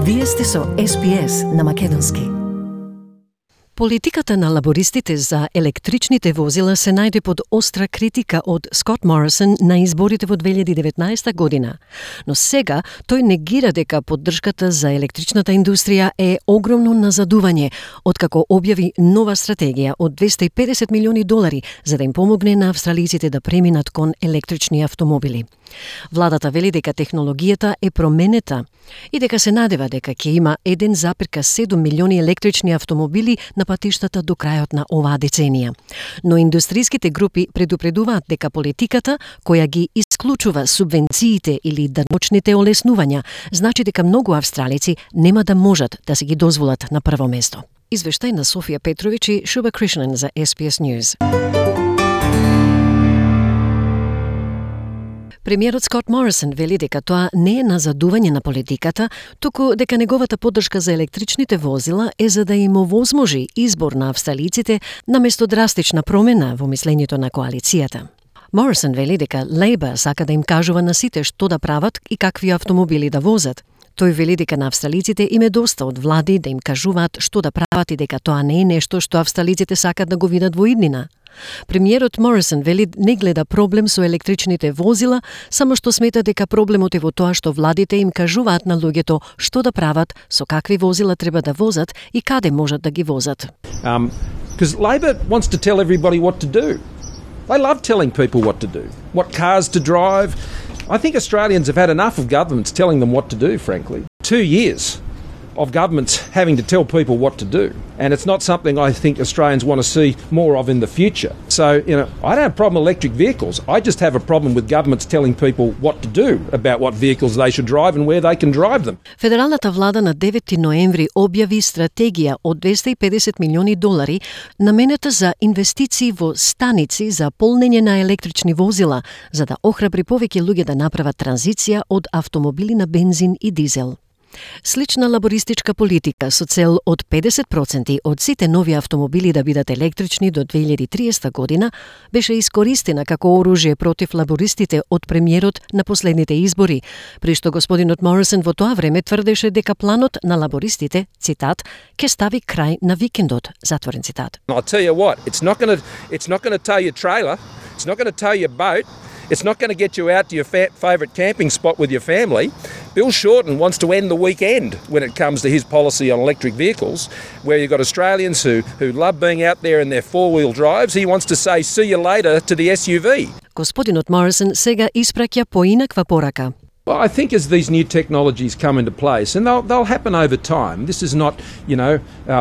Вие сте со SPS на македонски. Политиката на лабористите за електричните возила се најде под остра критика од Скот Морисон на изборите во 2019 година. Но сега тој негира дека поддршката за електричната индустрија е огромно назадување, откако објави нова стратегија од $250 милиони за да им помогне на австралиците да преминат кон електрични автомобили. Владата вели дека технологијата е променета и дека се надева дека ќе има 1,7 милиони електрични автомобили на патиштата до крајот на оваа деценија. Но индустриските групи предупредуваат дека политиката која ги исклучува субвенциите или даночните олеснувања значи дека многу австралици нема да можат да се ги дозволат на прво место. Извештај на Софија Петрович и Шуба Кришнан за SPS News. Премиерот Скот Морисон вели дека тоа не е назадување на политиката, туку дека неговата поддршка за електричните возила е за да им овозможи избор на австралиците наместо драстична промена во мислењето на коалицијата. Морисон вели дека Лейбор сака да им кажува на сите што да прават и какви автомобили да возат. Тој вели дека на австралиците им е доста од влади да им кажуваат што да прават и дека тоа не е нешто што австралиците сакат да го видат во иднина. Премиерот Морисон вели не гледа проблем со електричните возила, само што смета дека проблемот е во тоа што владите им кажуваат на луѓето што да прават, со какви возила треба да возат и каде можат да ги возат. Because Labor wants to tell everybody what to do. They love telling people what to do, what cars to drive. I think Australians have had enough of governments telling them what to do, frankly. 2 years of governments having to tell people what to do. And it's not something I think Australians want to see more of in the future. So, I don't have a problem with electric vehicles. I just have a problem with governments telling people what to do about what vehicles they should drive and where they can drive them. Федералната влада на 9 ноември објави стратегија од $250 милиони наменета за инвестиции во станици за полнење на електрични возила, за да охрабри повеќе луѓе да направат транзиција од автомобили на бензин и дизел. Слична лабористичка политика со цел од 50% од сите нови автомобили да бидат електрични до 2030 година беше искористена како оружје против лабористите од премиерот на последните избори, при што господинот Морисон во тоа време тврдеше дека планот на лабористите, цитат, ќе стави крај на викендот, затворен цитат. I'll tell you what, it's not going to tow your trailer, it's not going to tow your boat. It's not going to get you out to your favourite camping spot with your family. Bill Shorten wants to end the weekend when it comes to his policy on electric vehicles, where you've got Australians who love being out there in their four-wheel drives. He wants to say, see you later to the SUV. Господинот Морисон сега испраќа поинаква порака. Well, I think as these new technologies come into place, and they'll happen over time, this is not,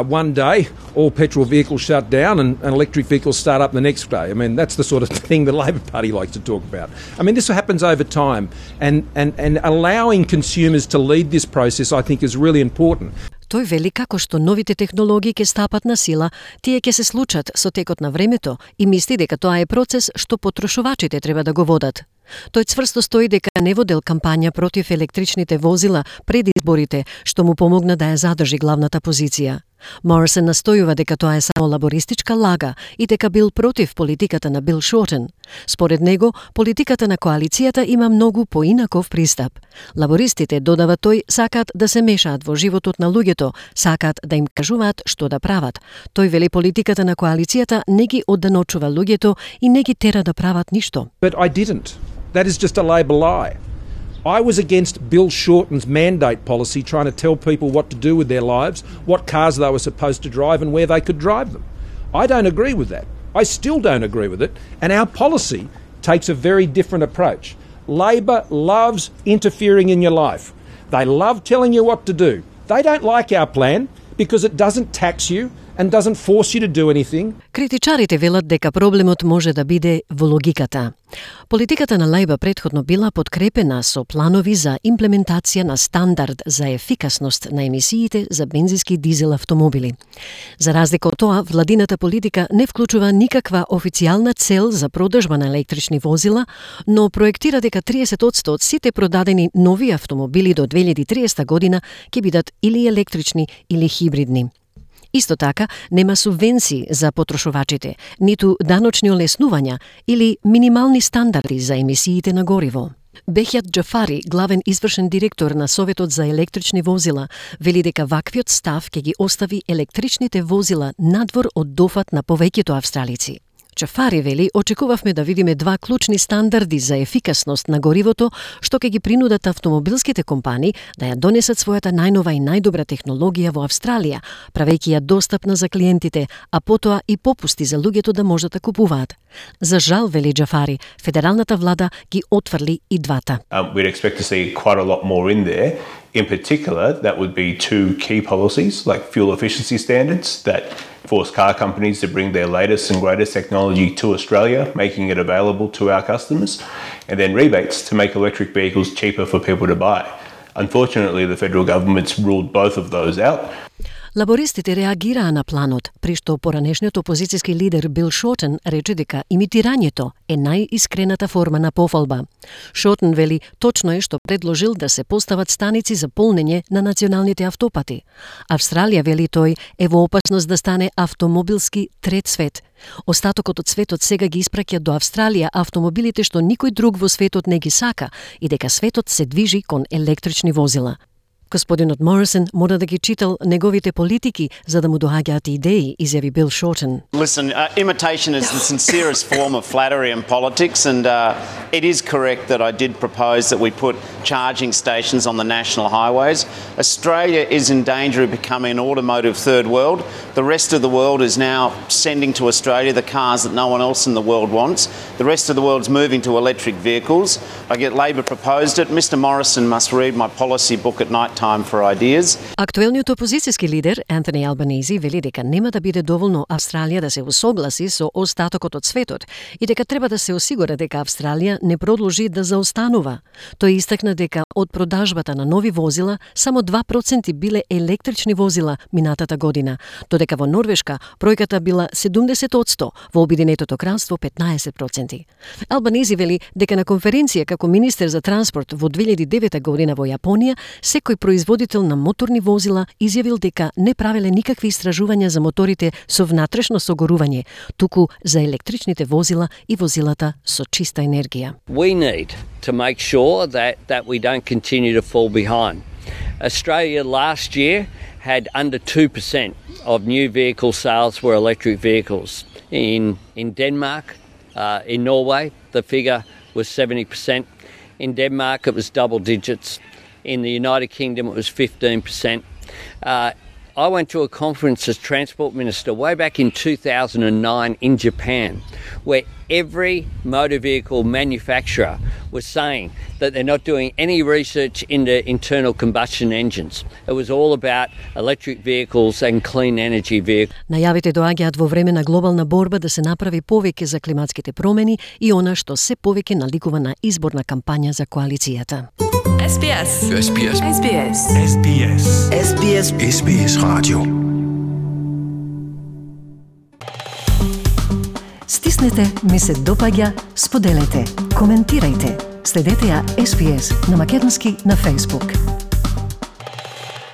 one day all petrol vehicles shut down and electric vehicles start up the next day. I mean, that's the sort of thing the Labor Party likes to talk about. I mean, this happens over time, and allowing consumers to lead this process, I think, is really important. Тој вели како што новите технологии ќе стапат на сила, тие ќе се случат со текот на времето и мисли дека тоа е процес што потрошувачите треба да го водат. Тој цврсто стои дека не водел кампања против електричните возила пред изборите, што му помогна да ја задржи главната позиција. Морисон настојува дека тоа е само лабористичка лага и дека бил против политиката на Бил Шортен. Според него, политиката на коалицијата има многу поинаков пристап. Лабористите, додава тој, сакаат да се мешаат во животот на луѓето, сакаат да им кажуваат што да прават. Тој вели политиката на коалицијата не ги одданочува луѓето и не ги тера да прават ништо. But I didn't. That is just a Labor lie. I was against Bill Shorten's mandate policy trying to tell people what to do with their lives, what cars they were supposed to drive and where they could drive them. I don't agree with that. I still don't agree with it, and our policy takes a very different approach. Labor loves interfering in your life. They love telling you what to do. They don't like our plan because it doesn't tax you and doesn't force you to do anything. Критичарите велат дека проблемот може да биде во логиката. Политиката на Лейбор претходно била подкрепена со планови за имплементација на стандард за ефикасност на емисиите за бензински и дизел автомобили. За разлика од тоа, владината политика не вклучува никаква официјална цел за продажба на електрични возила, но проектира дека 30% од сите продадени нови автомобили до 2030 година ќе бидат или електрични или хибридни. Исто така, нема субвенции за потрошувачите, ниту даночни олеснувања или минимални стандарди за емисиите на гориво. Бехјат Џафари, главен извршен директор на Советот за електрични возила, вели дека ваквиот став ќе ги остави електричните возила надвор од дофат на повеќето австралици. Џафари вели, очекувавме да видиме два клучни стандарди за ефикасност на горивото, што ќе ги принудат автомобилските компании да ја донесат својата најнова и најдобра технологија во Австралија, правејќи ја достапна за клиентите, а потоа и попусти за луѓето да можат да купуваат. За жал, вели Џафари, федералната влада ги отфрли и двата. We'd expect to see quite a lot more in there. In particular, that would be two key policies, like fuel efficiency standards that force car companies to bring their latest and greatest technology to Australia, making it available to our customers, and then rebates to make electric vehicles cheaper for people to buy. Unfortunately, the federal government's ruled both of those out. Лабористите реагираа на планот, при што поранешниот опозицијски лидер Бил Шортен рече дека имитирањето е најискрената форма на пофалба. Шортен вели точно е што предложил да се постават станици за полнење на националните автопати. Австралија, вели тој, е во опасност да стане автомобилски трет свет. Остатокот од светот сега ги испраќа до Австралија автомобилите што никој друг во светот не ги сака и дека светот се движи кон електрични возила. Господинот Морисон мора да ги читал неговите политики за да му доаѓаат идеи, изјави Бил Шортен. Listen, imitation is the sincerest form of flattery in politics, and it is correct that I did propose that we put charging stations on the national highways. Australia is in danger of becoming an automotive third world. The rest of the world is now sending to Australia the cars that no one else in the world wants. The rest of the world's moving to electric vehicles. I get Labor proposed it. Mr Morrison must read my policy book at night time for ideas. Актуелниот опозицијски лидер Антони Албанези вели дека нема да биде доволно Австралија да се усогласи со остатокот од светот и дека треба да се осигура дека Австралија не продолжи да заостанува. Тој истакна дека од продажбата на нови возила само 2% биле електрични возила минатата година, додека во Норвешка бројката била 70%, во Обединетото кралство 15%. Албанези вели дека на конференција како министер за транспорт во 2009 година во Јапонија, секој производител на моторни возила изјавил дека не правеле никакви истражувања за моторите со внатрешно согорување, туку за електричните возила и возилата со чиста енергија. We need to make sure that we don't continue to fall behind. Australia last year had under 2% of new vehicle sales were electric vehicles. In Denmark, in Norway, the figure was 70%. In Denmark, it was double digits. In the United Kingdom, it was 15%. I went to a conference as Transport Minister way back in 2009 in Japan, where every motor vehicle manufacturer was saying that they're not doing any research into internal combustion engines. It was all about electric vehicles and clean energy vehicles. Најавите доаѓаат во време на глобална борба да се направи повеќе за климатските промени и она што се повеќе наликува на изборна кампања за коалицијата. SBS. SBS. SBS. SBS. SBS. SBS Radio. Стиснете, ми се допаѓа, споделете, коментирајте. Следете ја SBS на македонски на Facebook.